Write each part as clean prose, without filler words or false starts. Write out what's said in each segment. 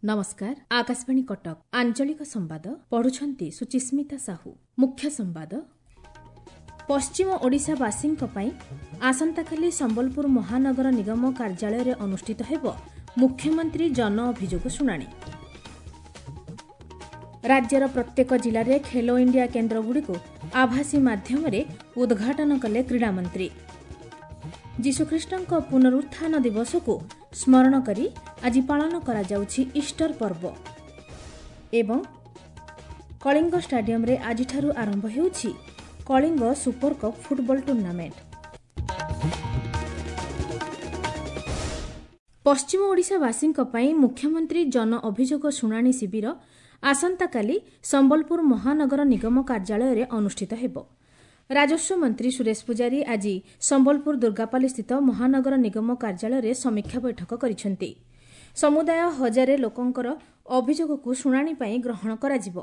ନମସ୍କାର, ଆକାଶବାଣୀ କଟକ, ଆଞ୍ଚଳିକ ସମ୍ବାଦ ପଢୁଛନ୍ତି ସୁଚିସ୍ମିତା ସାହୁ। ମୁଖ୍ୟ ସମ୍ବାଦ। ପଶ୍ଚିମ ଓଡ଼ିଶାବାସୀଙ୍କ ପାଇଁ ଆସନ୍ତାକାଲି ସମ୍ବଲପୁର ମହାନଗର ନିଗମ କାର୍ଯ୍ୟାଳୟରେ ଅନୁଷ୍ଠିତ ହେବ ମୁଖ୍ୟମନ୍ତ୍ରୀ ଜନ ଅଭିଯୋଗ ଶୁଣାଣି। ରାଜ୍ୟର ପ୍ରତ୍ୟେକ ଜିଲ୍ଲାରେ ଖେଲୋ ଇଣ୍ଡିଆ କେନ୍ଦ୍ରଗୁଡ଼ିକୁ ଆଭାସୀ ମାଧ୍ୟମରେ ଉଦ୍ଘାଟନ କଲେ କ୍ରୀଡ଼ାମନ୍ତ୍ରୀ। ଯୀଶୁଖ୍ରୀଷ୍ଟଙ୍କ ପୁନରୁତ୍ଥାନ ଦିବସକୁ ସ୍ମରଣ କରି ଆଜି ପାଳନ କରାଯାଉଛି ଇଷ୍ଟର ପର୍ବ। ଏବଂ କଳିଙ୍ଗ ଷ୍ଟାଡିୟମରେ ଆଜିଠାରୁ ଆରମ୍ଭ ହେଉଛି Kalinga super cup football tournament. ପଶ୍ଚିମ ଓଡ଼ିଶାବାସୀଙ୍କ ପାଇଁ ମୁଖ୍ୟମନ୍ତ୍ରୀ ଜନ ଅଭିଯୋଗ ଶୁଣାଣି ଶିବିର ଆସନ୍ତାକାଲି ସମ୍ବଲପୁର ମହାନଗର ନିଗମ କାର୍ଯ୍ୟାଳୟରେ ଅନୁଷ୍ଠିତ ହେବ। ରାଜସ୍ୱ ମନ୍ତ୍ରୀ ସୁରେଶ ପୂଜାରୀ ଆଜି ସମ୍ବଲପୁର ଦୁର୍ଗାପାଲିସ୍ଥିତ ମହାନଗର ନିଗମ କାର୍ଯ୍ୟାଳୟରେ ସମୀକ୍ଷା ବୈଠକ କରିଛନ୍ତି। ସମୁଦାୟ 1000 ଲୋକଙ୍କର ଅଭିଯୋଗକୁ ଶୁଣାଣି ପାଇଁ ଗ୍ରହଣ କରାଯିବ।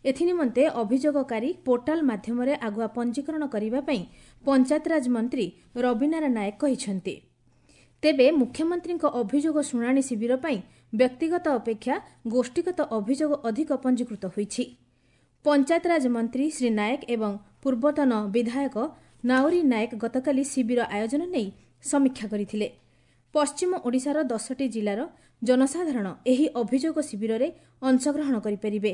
ଏଥିନିମନ୍ତେ ଅଭିଯୋଗକାରୀ ପୋର୍ଟାଲ ମାଧ୍ୟମରେ ଆଗୁଆ ପଞ୍ଜୀକରଣ କରିବା ପାଇଁ ପଞ୍ଚାୟତରାଜ ମନ୍ତ୍ରୀ ରବିନାରାୟଣ ନାୟକ କହିଛନ୍ତି। ତେବେ ମୁଖ୍ୟମନ୍ତ୍ରୀଙ୍କ ଅଭିଯୋଗ ଶୁଣାଣି ଶିବିର ପାଇଁ ବ୍ୟକ୍ତିଗତ ଅପେକ୍ଷା ଗୋଷ୍ଠୀଗତ ଅଭିଯୋଗ ଅଧିକ ପଞ୍ଜୀକୃତ ହୋଇଛି। ପଞ୍ଚାୟତରାଜ ମନ୍ତ୍ରୀ ଶ୍ରୀ ନାୟକ ଏବଂ ପୂର୍ବତନ ବିଧାୟକ ନାଉରୀ ନାୟକ ଗତକାଲି ଶିବିର ଆୟୋଜନ ନେଇ ସମୀକ୍ଷା କରିଥିଲେ। ପଶ୍ଚିମ ଓଡ଼ିଶାର 10ଟି ଜିଲ୍ଲାର ଜନସାଧାରଣ ଏହି ଅଭିଯୋଗ ଶିବିରରେ ଅଂଶଗ୍ରହଣ କରିପାରିବେ।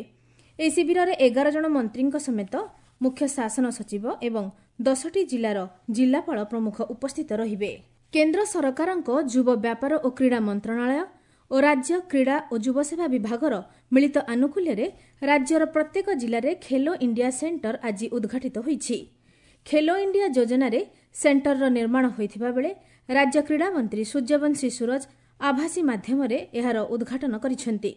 ଏହି ଶିବିରରେ 11 ଜଣ ମନ୍ତ୍ରୀଙ୍କ ସମେତ ମୁଖ୍ୟ ଶାସନ ସଚିବ ଏବଂ 10ଟି ଜିଲ୍ଲାର ଜିଲ୍ଲାପାଳ ପ୍ରମୁଖ ଉପସ୍ଥିତ ରହିବେ। କେନ୍ଦ୍ର ସରକାରଙ୍କ ଯୁବ ବ୍ୟାପାର ଓ କ୍ରୀଡ଼ା ମନ୍ତ୍ରଣାଳୟ ଓ ରାଜ୍ୟ କ୍ରୀଡ଼ା ଓ ଯୁବସେବା ବିଭାଗର ମିଳିତ ଆନୁକୂଲ୍ୟରେ ରାଜ୍ୟର ପ୍ରତ୍ୟେକ ଜିଲ୍ଲାରେ ଖେଲୋ ଇଣ୍ଡିଆ ସେଣ୍ଟର ଆଜି ଉଦ୍ଘାଟିତ ହୋଇଛି। ଖେଲୋ ଇଣ୍ଡିଆ ଯୋଜନାରେ ସେଣ୍ଟରର ନିର୍ମାଣ ହୋଇଥିବା ବେଳେ ରାଜ୍ୟ କ୍ରୀଡ଼ାମନ୍ତ୍ରୀ ସୂର୍ଯ୍ୟବଂଶୀ ସୂରଜ ଆଭାସୀ ମାଧ୍ୟମରେ ଏହାର ଉଦ୍ଘାଟନ କରିଛନ୍ତି।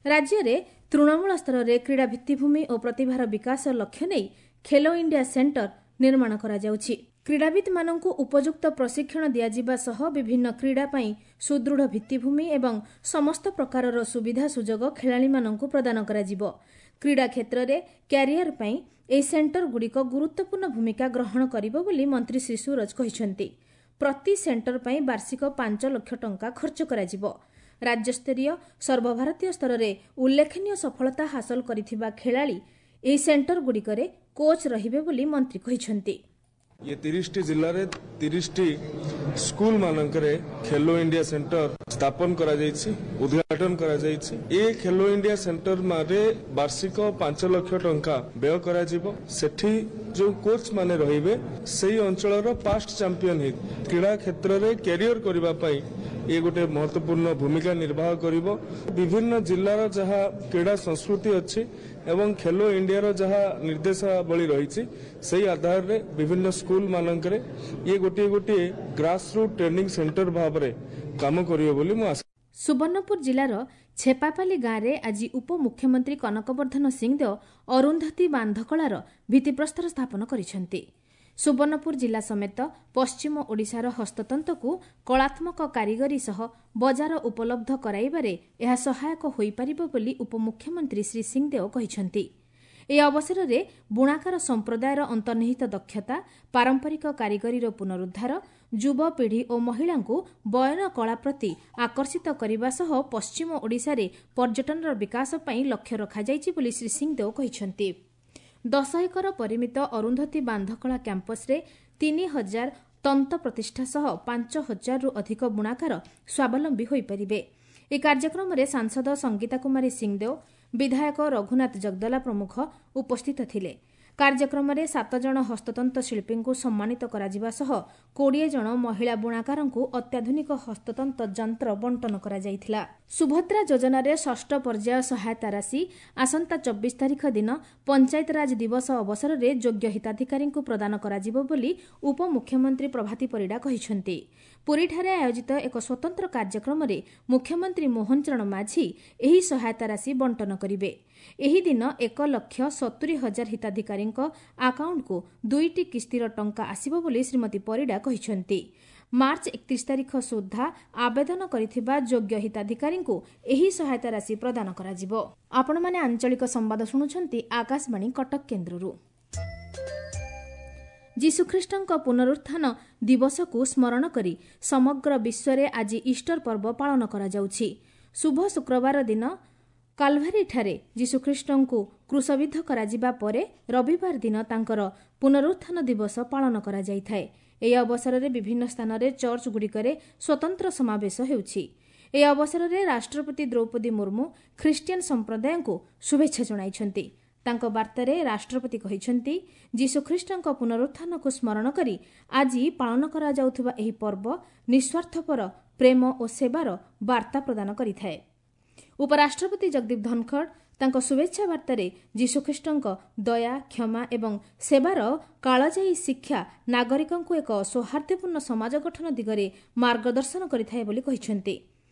ରାଜ୍ୟରେ ତୃଣମୂଳ ସ୍ତରରେ କ୍ରୀଡ଼ା ଭିତ୍ତିଭୂମି ଓ ପ୍ରତିଭାର ବିକାଶ ଲକ୍ଷ୍ୟ ନେଇ ଖେଲୋ ଇଣ୍ଡିଆ ସେଣ୍ଟର ନିର୍ମାଣ କରାଯାଉଛି। କ୍ରୀଡ଼ାବିତ୍ମାନଙ୍କୁ ଉପଯୁକ୍ତ ପ୍ରଶିକ୍ଷଣ ଦିଆଯିବା ସହ ବିଭିନ୍ନ କ୍ରୀଡ଼ା ପାଇଁ ସୁଦୃଢ଼ ଭିତ୍ତିଭୂମି ଏବଂ ସମସ୍ତ ପ୍ରକାରର ସୁବିଧା ସୁଯୋଗ ଖେଳାଳିମାନଙ୍କୁ ପ୍ରଦାନ କରାଯିବ। କ୍ରୀଡ଼ା କ୍ଷେତ୍ରରେ କ୍ୟାରିୟର ପାଇଁ ଏହି ସେଣ୍ଟରଗୁଡ଼ିକ ଗୁରୁତ୍ୱପୂର୍ଣ୍ଣ ଭୂମିକା ଗ୍ରହଣ କରିବ ବୋଲି ମନ୍ତ୍ରୀ ଶ୍ରୀ ସୂରଜ କହିଛନ୍ତି। ପ୍ରତି ସେଣ୍ଟର ପାଇଁ ବାର୍ଷିକ 5 ଲକ୍ଷ ଟଙ୍କା ଖର୍ଚ୍ଚ କରାଯିବ। ରାଜ୍ୟସ୍ତରୀୟ, ସର୍ବଭାରତୀୟ ସ୍ତରରେ ଉଲ୍ଲେଖନୀୟ ସଫଳତା ହାସଲ କରିଥିବା ଖେଳାଳି ଏହି ସେଣ୍ଟରଗୁଡ଼ିକରେ କୋଚ୍ ରହିବେ ବୋଲି ମନ୍ତ୍ରୀ କହିଛନ୍ତି। ଇଏ 30ଟି ଜିଲ୍ଲାରେ 30ଟି ସ୍କୁଲ ମାନଙ୍କରେ ଖେଲୋ ଇଣ୍ଡିଆ ସେଣ୍ଟର ସ୍ଥାପନ କରାଯାଇଛି, ଉଦ୍ଘାଟନ କରାଯାଇଛି। ଏ ଖେଲୋ ଇଣ୍ଡିଆ ସେଣ୍ଟର ମାରେ ବାର୍ଷିକ 5 ଲକ୍ଷ ଟଙ୍କା ବ୍ୟୟ କରାଯିବ। ସେଠି ଯେଉଁ କୋଚ୍ ମାନେ ରହିବେ ସେଇ ଅଞ୍ଚଳର ପାଷ୍ଟ ଚାମ୍ପିୟନ ହେଇ କ୍ରୀଡ଼ା କ୍ଷେତ୍ରରେ କ୍ୟାରିୟର କରିବା ପାଇଁ ଇଏ ଗୋଟେ ମହତ୍ୱପୂର୍ଣ୍ଣ ଭୂମିକା ନିର୍ବାହ କରିବ। ବିଭିନ୍ନ ଜିଲ୍ଲାର ଯାହା କ୍ରୀଡ଼ା ସଂସ୍କୃତି ଅଛି ଏବଂ ଖେଲୋ ଇଣ୍ଡିଆର ଯାହା ନିର୍ଦ୍ଦେଶାବଳୀ ରହିଛି ସେଇ ଆଧାରରେ ବିଭିନ୍ନ ସ୍କୁଲ ମାନଙ୍କରେ ଇଏ ଗୋଟିଏ ଗୋଟିଏ ଗ୍ରାସ ରୁଟ୍ ଟ୍ରେନିଂ ସେଣ୍ଟର ଭାବରେ କାମ କରିବ ବୋଲି ମୁଁ ଆଶା। ସୁବର୍ଣ୍ଣପୁର ଜିଲ୍ଲାର ଛେପାପାଲି ଗାଁରେ ଆଜି ଉପମୁଖ୍ୟମନ୍ତ୍ରୀ କନକବର୍ଦ୍ଧନ ସିଂଦେଓ ଅରୁନ୍ଧତୀ ବାନ୍ଧକଳାର ଭିତ୍ତିପ୍ରସ୍ତର ସ୍ଥାପନ କରିଛନ୍ତି। ସୁବର୍ଣ୍ଣପୁର ଜିଲ୍ଲା ସମେତ ପଶ୍ଚିମ ଓଡ଼ିଶାର ହସ୍ତତନ୍ତକୁ କଳାତ୍ମକ କାରିଗରୀ ସହ ବଜାର ଉପଲବ୍ଧ କରାଇବାରେ ଏହା ସହାୟକ ହୋଇପାରିବ ବୋଲି ଉପମୁଖ୍ୟମନ୍ତ୍ରୀ ଶ୍ରୀ ସିଂଦେଓ କହିଛନ୍ତି। ଏହି ଅବସରରେ ବୁଣାକାର ସମ୍ପ୍ରଦାୟର ଅନ୍ତର୍ନିହିତ ଦକ୍ଷତା, ପାରମ୍ପରିକ କାରିଗରୀର ପୁନରୁଦ୍ଧାର, ଯୁବପିଢ଼ି ଓ ମହିଳାଙ୍କୁ ବୟନ କଳା ପ୍ରତି ଆକର୍ଷିତ କରିବା ସହ ପଶ୍ଚିମ ଓଡ଼ିଶାରେ ପର୍ଯ୍ୟଟନର ବିକାଶ ପାଇଁ ଲକ୍ଷ୍ୟ ରଖାଯାଇଛି ବୋଲି ଶ୍ରୀ ସିଂଦେଓ କହିଛନ୍ତି। 10 ଏକର ପରିମିତ ଅରୁନ୍ଧତୀ ବାନ୍ଧକଳା କ୍ୟାମ୍ପସରେ 3000 ତନ୍ତ ପ୍ରତିଷ୍ଠା ସହ 5000ରୁ ଅଧିକ ବୁଣାକାର ସ୍ୱାବଲମ୍ବୀ ହୋଇପାରିବେ। ଏହି କାର୍ଯ୍ୟକ୍ରମରେ ସାଂସଦ ସଙ୍ଗୀତା କୁମାରୀ ସିଂଦେଓ, ବିଧାୟକ ରଘୁନାଥ ଜଗଦଲା ପ୍ରମୁଖ ଉପସ୍ଥିତ ଥିଲେ। କାର୍ଯ୍ୟକ୍ରମରେ 7 ଜଣ ହସ୍ତତନ୍ତ ଶିଳ୍ପୀଙ୍କୁ ସମ୍ମାନିତ କରାଯିବା ସହ 20 ଜଣ ମହିଳା ବୁଣାକାରଙ୍କୁ ଅତ୍ୟାଧୁନିକ ହସ୍ତତନ୍ତ ଯନ୍ତ୍ର ବଣ୍ଟନ କରାଯାଇଥିଲା। ସୁଭଦ୍ରା ଯୋଜନାରେ ଷଷ୍ଠ ପର୍ଯ୍ୟାୟ ସହାୟତା ରାଶି ଆସନ୍ତା 24 ତାରିଖ ଦିନ ପଞ୍ଚାୟତରାଜ ଦିବସ ଅବସରରେ ଯୋଗ୍ୟ ହିତାଧିକାରୀଙ୍କୁ ପ୍ରଦାନ କରାଯିବ ବୋଲି ଉପମୁଖ୍ୟମନ୍ତ୍ରୀ ପ୍ରଭାତୀ ପରିଡ଼ା କହିଛନ୍ତି। ପୁରୀଠାରେ ଆୟୋଜିତ ଏକ ସ୍ୱତନ୍ତ୍ର କାର୍ଯ୍ୟକ୍ରମରେ ମୁଖ୍ୟମନ୍ତ୍ରୀ ମୋହନ ଚରଣ ମାଝୀ ଏହି ସହାୟତା ରାଶି ବଣ୍ଟନ କରିବେ। ଏହି ଦିନ 1,70,000 ହିତାଧିକାରୀଙ୍କ ଆକାଉଣ୍ଟକୁ 2ଟି କିସ୍ତିର ଟଙ୍କା ଆସିବ ବୋଲି ଶ୍ରୀମତୀ ପରିଡ଼ା କହିଛନ୍ତି। ମାର୍ଚ୍ଚ 31 ତାରିଖ ସୁଦ୍ଧା ଆବେଦନ କରିଥିବା ଯୋଗ୍ୟ ହିତାଧିକାରୀଙ୍କୁ ଏହି ସହାୟତା ରାଶି ପ୍ରଦାନ କରାଯିବ। ଆପଣମାନେ ଆଞ୍ଚଳିକ ସମ୍ବାଦ ଶୁଣୁଛନ୍ତି ଆକାଶବାଣୀ କଟକ କେନ୍ଦ୍ରରୁ। ଯୀଶୁଖ୍ରୀଷ୍ଟଙ୍କ ପୁନରୁତ୍ଥାନ ଦିବସକୁ ସ୍ମରଣ କରି ସମଗ୍ର ବିଶ୍ୱରେ ଆଜି ଇଷ୍ଟର ପର୍ବ ପାଳନ କରାଯାଉଛି। ଶୁଭ ଶୁକ୍ରବାର ଦିନ କାଲଭାରୀଠାରେ ଯୀଶୁଖ୍ରୀଷ୍ଟଙ୍କୁ କ୍ରୁଶବିଦ୍ଧ କରାଯିବା ପରେ ରବିବାର ଦିନ ତାଙ୍କର ପୁନରୁତ୍ଥାନ ଦିବସ ପାଳନ କରାଯାଇଥାଏ। ଏହି ଅବସରରେ ବିଭିନ୍ନ ସ୍ଥାନରେ ଚର୍ଚ୍ଚଗୁଡ଼ିକରେ ସ୍ୱତନ୍ତ୍ର ସମାବେଶ ହେଉଛି। ଏହି ଅବସରରେ ରାଷ୍ଟ୍ରପତି ଦ୍ରୌପଦୀ ମୁର୍ମୁ ଖ୍ରୀଷ୍ଟିଆନ ସମ୍ପ୍ରଦାୟଙ୍କୁ ଶୁଭେଚ୍ଛା ଜଣାଇଛନ୍ତି। ତାଙ୍କ ବାର୍ତ୍ତାରେ ରାଷ୍ଟ୍ରପତି କହିଛନ୍ତି, ଯୀଶୁଖ୍ରୀଷ୍ଟଙ୍କ ପୁନରୁତ୍ଥାନକୁ ସ୍ମରଣ କରି ଆଜି ପାଳନ କରାଯାଉଥିବା ଏହି ପର୍ବ ନିଃସ୍ୱାର୍ଥପର ପ୍ରେମ ଓ ସେବାର ବାର୍ତ୍ତା ପ୍ରଦାନ କରିଥାଏ। ଉପରାଷ୍ଟ୍ରପତି ଜଗଦୀପ ଧନଖଡ଼ ତାଙ୍କ ଶୁଭେଚ୍ଛା ବାର୍ତ୍ତାରେ ଯୀଶୁଖ୍ରୀଷ୍ଟଙ୍କ ଦୟା, କ୍ଷମା ଏବଂ ସେବାର କାଳଜୟୀ ଶିକ୍ଷା ନାଗରିକଙ୍କୁ ଏକ ସୌହାର୍ଦ୍ଦ୍ୟପୂର୍ଣ୍ଣ ସମାଜ ଗଠନ ଦିଗରେ ମାର୍ଗଦର୍ଶନ କରିଥାଏ ବୋଲି କହିଛନ୍ତି।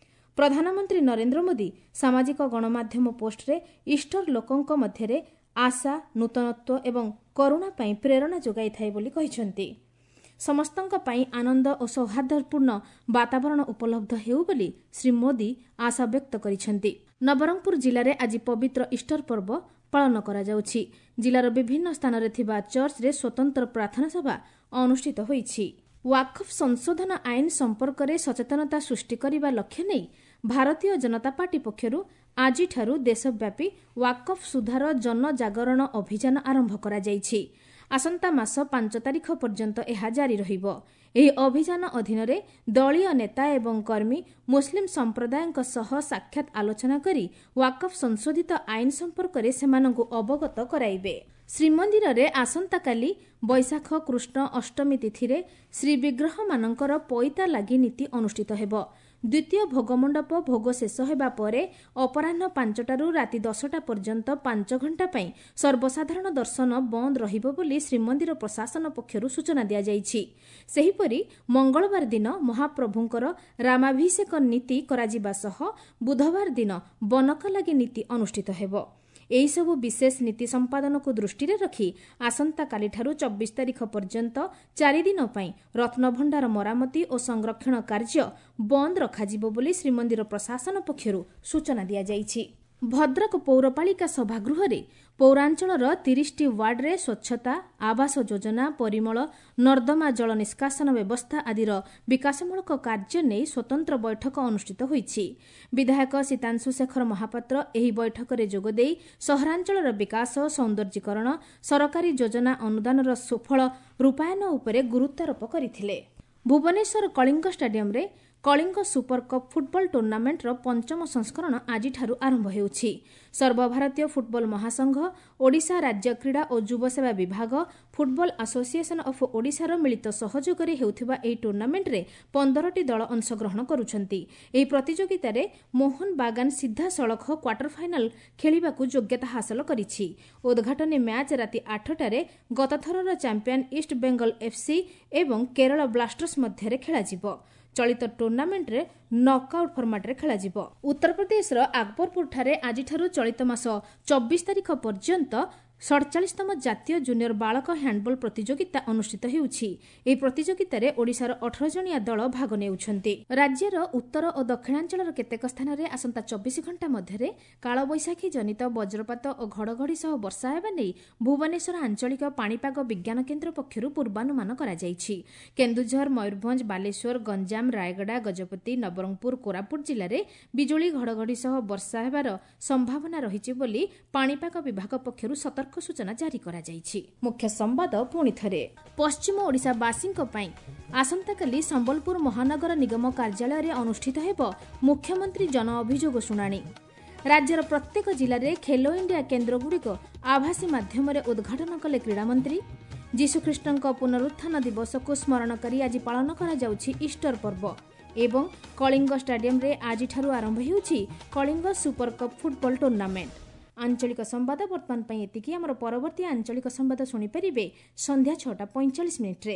ପ୍ରଧାନମନ୍ତ୍ରୀ ନରେନ୍ଦ୍ର ମୋଦି ସାମାଜିକ ଗଣମାଧ୍ୟମ ପୋଷ୍ଟରେ ଇଷ୍ଟର ଲୋକଙ୍କ ମଧ୍ୟରେ ଆଶା, ନୂତନତ୍ୱ ଏବଂ କରୁଣା ପାଇଁ ପ୍ରେରଣା ଯୋଗାଇଥାଏ ବୋଲି କହିଛନ୍ତି। ସମସ୍ତଙ୍କ ପାଇଁ ଆନନ୍ଦ ଓ ସୌହାର୍ଦ୍ଦ୍ୟପୂର୍ଣ୍ଣ ବାତାବରଣ ଉପଲବ୍ଧ ହେଉ ବୋଲି ଶ୍ରୀ ମୋଦି ଆଶା ବ୍ୟକ୍ତ କରିଛନ୍ତି। ନବରଙ୍ଗପୁର ଜିଲ୍ଲାରେ ଆଜି ପବିତ୍ର ଇଷ୍ଟର ପର୍ବ ପାଳନ କରାଯାଉଛି। ଜିଲ୍ଲାର ବିଭିନ୍ନ ସ୍ଥାନରେ ଥିବା ଚର୍ଚ୍ଚରେ ସ୍ୱତନ୍ତ୍ର ପ୍ରାର୍ଥନା ସଭା ଅନୁଷ୍ଠିତ ହୋଇଛି। ୱାକଫ ସଂଶୋଧନ ଆଇନ ସମ୍ପର୍କରେ ସଚେତନତା ସୃଷ୍ଟି କରିବା ଲକ୍ଷ୍ୟ ନେଇ ଭାରତୀୟ ଜନତା ପାର୍ଟି ପକ୍ଷରୁ ଆଜିଠାରୁ ଦେଶବ୍ୟାପୀ ୱାକଫ ସୁଧାର ଜନଜାଗରଣ ଅଭିଯାନ ଆରମ୍ଭ କରାଯାଇଛି। ଆସନ୍ତା ମାସ 5 ତାରିଖ ପର୍ଯ୍ୟନ୍ତ ଏହା ଜାରି ରହିବ। ଏହି ଅଭିଯାନ ଅଧୀନରେ ଦଳୀୟ ନେତା ଏବଂ କର୍ମୀ ମୁସଲିମ ସମ୍ପ୍ରଦାୟଙ୍କ ସହ ସାକ୍ଷାତ ଆଲୋଚନା କରି ୱାକଫ ସଂଶୋଧିତ ଆଇନ ସମ୍ପର୍କରେ ସେମାନଙ୍କୁ ଅବଗତ କରାଇବେ। ଶ୍ରୀମନ୍ଦିରରେ ଆସନ୍ତାକାଲି ବୈଶାଖ କୃଷ୍ଣ ଅଷ୍ଟମୀ ତିଥିରେ ଶ୍ରୀବିଗ୍ରହମାନଙ୍କର ପଇତା ଲାଗି ନୀତି ଅନୁଷ୍ଠିତ ହେବ। ଦ୍ୱିତୀୟ ଭୋଗମଣ୍ଡପ ଭୋଗ ଶେଷ ହେବା ପରେ ଅପରାହ୍ନ 5ଟାରୁ ରାତି 10ଟା ପର୍ଯ୍ୟନ୍ତ 5 ଘଣ୍ଟା ପାଇଁ ସର୍ବସାଧାରଣ ଦର୍ଶନ ବନ୍ଦ ରହିବ ବୋଲି ଶ୍ରୀମନ୍ଦିର ପ୍ରଶାସନ ପକ୍ଷରୁ ସୂଚନା ଦିଆଯାଇଛି। ସେହିପରି ମଙ୍ଗଳବାର ଦିନ ମହାପ୍ରଭୁଙ୍କର ରାମାଭିଷେକ ନୀତି କରାଯିବା ସହ ବୁଧବାର ଦିନ ବନକଲାଗି ନୀତି ଅନୁଷ୍ଠିତ ହେବ। ଏହିସବୁ ବିଶେଷ ନୀତି ସମ୍ପାଦନକୁ ଦୃଷ୍ଟିରେ ରଖି ଆସନ୍ତାକାଲିଠାରୁ 24 ତାରିଖ ପର୍ଯ୍ୟନ୍ତ 4 ଦିନ ପାଇଁ ରତ୍ନଭଣ୍ଡାର ମରାମତି ଓ ସଂରକ୍ଷଣ କାର୍ଯ୍ୟ ବନ୍ଦ ରଖାଯିବ ବୋଲି ଶ୍ରୀମନ୍ଦିର ପ୍ରଶାସନ ପକ୍ଷରୁ ସୂଚନା ଦିଆଯାଇଛି। ଭଦ୍ରକ ପୌରପାଳିକା ସଭାଗୃହରେ ପୌରାଞ୍ଚଳର 30ଟି ୱାର୍ଡରେ ସ୍ୱଚ୍ଛତା, ଆବାସ ଯୋଜନା, ପରିମଳ, ନର୍ଦ୍ଦମା ଜଳ ନିଷ୍କାସନ ବ୍ୟବସ୍ଥା ଆଦିର ବିକାଶମୂଳକ କାର୍ଯ୍ୟ ନେଇ ସ୍ୱତନ୍ତ୍ର ବୈଠକ ଅନୁଷ୍ଠିତ ହୋଇଛି। ବିଧାୟକ ସୀତାଂଶୁ ଶେଖର ମହାପାତ୍ର ଏହି ବୈଠକରେ ଯୋଗଦେଇ ସହରାଞ୍ଚଳର ବିକାଶ, ସୌନ୍ଦର୍ଯ୍ୟକରଣ, ସରକାରୀ ଯୋଜନା ଅନୁଦାନର ସୁଫଳ ରୂପାୟନ ଉପରେ ଗୁରୁତ୍ୱାରୋପ କରିଥିଲେ। ଭୁବନେଶ୍ୱର କଳିଙ୍ଗ ଷ୍ଟାଡିୟମରେ କଳିଙ୍ଗ ସୁପର କପ୍ ଫୁଟବଲ ଟୁର୍ଣ୍ଣାମେଣ୍ଟର ପଞ୍ଚମ ସଂସ୍କରଣ ଆଜିଠାରୁ ଆରମ୍ଭ ହେଉଛି। ସର୍ବଭାରତୀୟ ଫୁଟବଲ ମହାସଂଘ, ଓଡ଼ିଶା ରାଜ୍ୟ କ୍ରୀଡ଼ା ଓ ଯୁବସେବା ବିଭାଗ, ଫୁଟବଲ ଆସୋସିଏସନ ଅଫ୍ ଓଡ଼ିଶାର ମିଳିତ ସହଯୋଗରେ ହେଉଥିବା ଏହି ଟୁର୍ଣ୍ଣାମେଣ୍ଟରେ 15ଟି ଦଳ ଅଂଶଗ୍ରହଣ କରୁଛନ୍ତି। ଏହି ପ୍ରତିଯୋଗିତାରେ ମୋହନ ବାଗାନ ସିଧାସଳଖ କ୍ୱାର୍ଟର ଫାଇନାଲ ଖେଳିବାକୁ ଯୋଗ୍ୟତା ହାସଲ କରିଛି। ଉଦ୍ଘାଟନୀ ମ୍ୟାଚ୍ ରାତି 8ଟାରେ ଗତଥରର ଚାମ୍ପିୟନ ଇଷ୍ଟ ବେଙ୍ଗଲ ଏଫ୍ସି ଏବଂ କେରଳ ବ୍ଲାଷ୍ଟର୍ସ ମଧ୍ୟରେ ଖେଳାଯିବ। ଚଳିତ ଟୁର୍ଣ୍ଣାମେଣ୍ଟରେ ନକ୍ଆଉଟ୍ ଫର୍ମାଟ୍ରେ ଖେଳାଯିବ। ଉତ୍ତରପ୍ରଦେଶର ଆକବରପୁରଠାରେ ଆଜିଠାରୁ ଚଳିତ ମାସ 24 ତାରିଖ ପର୍ଯ୍ୟନ୍ତ 47ତମ ଜାତୀୟ ଜୁନିୟର ବାଳକ ହ୍ୟାଣ୍ଡବଲ ପ୍ରତିଯୋଗିତା ଅନୁଷ୍ଠିତ ହେଉଛି। ଏହି ପ୍ରତିଯୋଗିତାରେ ଓଡ଼ିଶାର 18 ଜଣିଆ ଦଳ ଭାଗ ନେଉଛନ୍ତି। ରାଜ୍ୟର ଉତ୍ତର ଓ ଦକ୍ଷିଣାଞ୍ଚଳର କେତେକ ସ୍ଥାନରେ ଆସନ୍ତା 24 ଘଣ୍ଟା ମଧ୍ୟରେ କାଳବୈଶାଖୀ ଜନିତ ବଜ୍ରପାତ ଓ ଘଡ଼ଘଡ଼ି ସହ ବର୍ଷା ହେବା ନେଇ ଭୁବନେଶ୍ୱର ଆଞ୍ଚଳିକ ପାଣିପାଗ ବିଜ୍ଞାନ କେନ୍ଦ୍ର ପକ୍ଷରୁ ପୂର୍ବାନୁମାନ କରାଯାଇଛି। କେନ୍ଦୁଝର, ମୟୂରଭଞ୍ଜ, ବାଲେଶ୍ୱର, ଗଞ୍ଜାମ, ରାୟଗଡ଼ା, ଗଜପତି, ନବରଙ୍ଗପୁର, କୋରାପୁଟ ଜିଲ୍ଲାରେ ବିଜୁଳି ଘଡ଼ଘଡ଼ି ସହ ବର୍ଷା ହେବାର ସମ୍ଭାବନା ରହିଛି ବୋଲି ପାଣିପାଗ ବିଭାଗ ପକ୍ଷରୁ ସତର୍କ ସୂଚନା ଜାରି କରାଯାଇଛି। ମୁଖ୍ୟ ସମ୍ବାଦ ପୁଣି ଥରେ। ପଶ୍ଚିମ ଓଡ଼ିଶାବାସୀଙ୍କ ପାଇଁ ଆସନ୍ତାକାଲି ସମ୍ବଲପୁର ମହାନଗର ନିଗମ କାର୍ଯ୍ୟାଳୟରେ ଅନୁଷ୍ଠିତ ହେବ ମୁଖ୍ୟମନ୍ତ୍ରୀ ଜନ ଅଭିଯୋଗ ଶୁଣାଣି। ରାଜ୍ୟର ପ୍ରତ୍ୟେକ ଜିଲ୍ଲାରେ ଖେଲୋ ଇଣ୍ଡିଆ କେନ୍ଦ୍ରଗୁଡ଼ିକ ଆଭାସୀ ମାଧ୍ୟମରେ ଉଦ୍ଘାଟନ କଲେ କ୍ରୀଡ଼ାମନ୍ତ୍ରୀ। ଯୀଶୁଖ୍ରୀଷ୍ଟଙ୍କ ପୁନରୁତ୍ଥାନ ଦିବସକୁ ସ୍ମରଣ କରି ଆଜି ପାଳନ କରାଯାଉଛି ଇଷ୍ଟର ପର୍ବ। ଏବଂ କଳିଙ୍ଗ ଷ୍ଟାଡିୟମରେ ଆଜିଠାରୁ ଆରମ୍ଭ ହେଉଛି Kalinga super cup football tournament. ଆଞ୍ଚଳିକ ସମ୍ବାଦ ବର୍ତ୍ତମାନ ପାଇଁ ଏତିକି। ଆମର ପରବର୍ତ୍ତୀ ଆଞ୍ଚଳିକ ସମ୍ବାଦ ଶୁଣିପାରିବେ ସନ୍ଧ୍ୟା 6ଟା 45 ମିନିଟ୍ରେ।